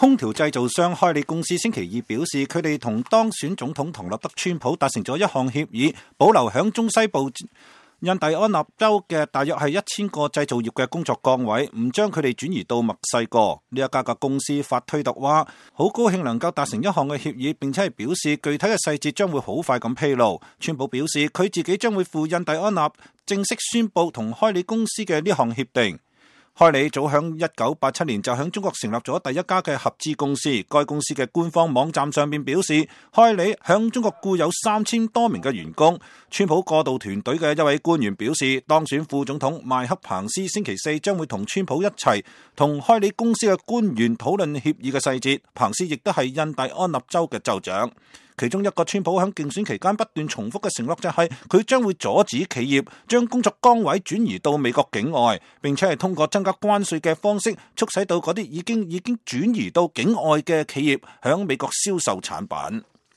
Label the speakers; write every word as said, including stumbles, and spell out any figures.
Speaker 1: 空調製造商開利公司星期二表示，佢哋同當選總統唐納德川普達成咗一項協議，保留響中西部印第安納州嘅大約係一千個製造業嘅工作崗位，唔將佢哋轉移到墨西哥。呢一家嘅公司發推特話，好高興能夠達成一項嘅協議，並且係表示具體嘅細節將會好快咁披露。川普表示，佢自己將會赴印第安納正式宣布同開利公司嘅呢項協定。開利早響一九八七年就響中國成立咗第一家嘅合資公司。該公司嘅官方網站上面表示，開利響中國雇有三千多名嘅員工。川普過渡團隊嘅一位官員表示，當選副總統邁克彭斯星期四將會同川普一齊同開利公司嘅官員討論協議嘅細節。彭斯亦都係印第安納州嘅州長。其中一個川普喺競選期間不斷重複嘅承諾就係佢將會阻止企業將工作崗位轉移到美國境外，並且係通過增加關稅嘅方式促使到嗰啲已經已經轉移到境外嘅企業喺美國銷售產品。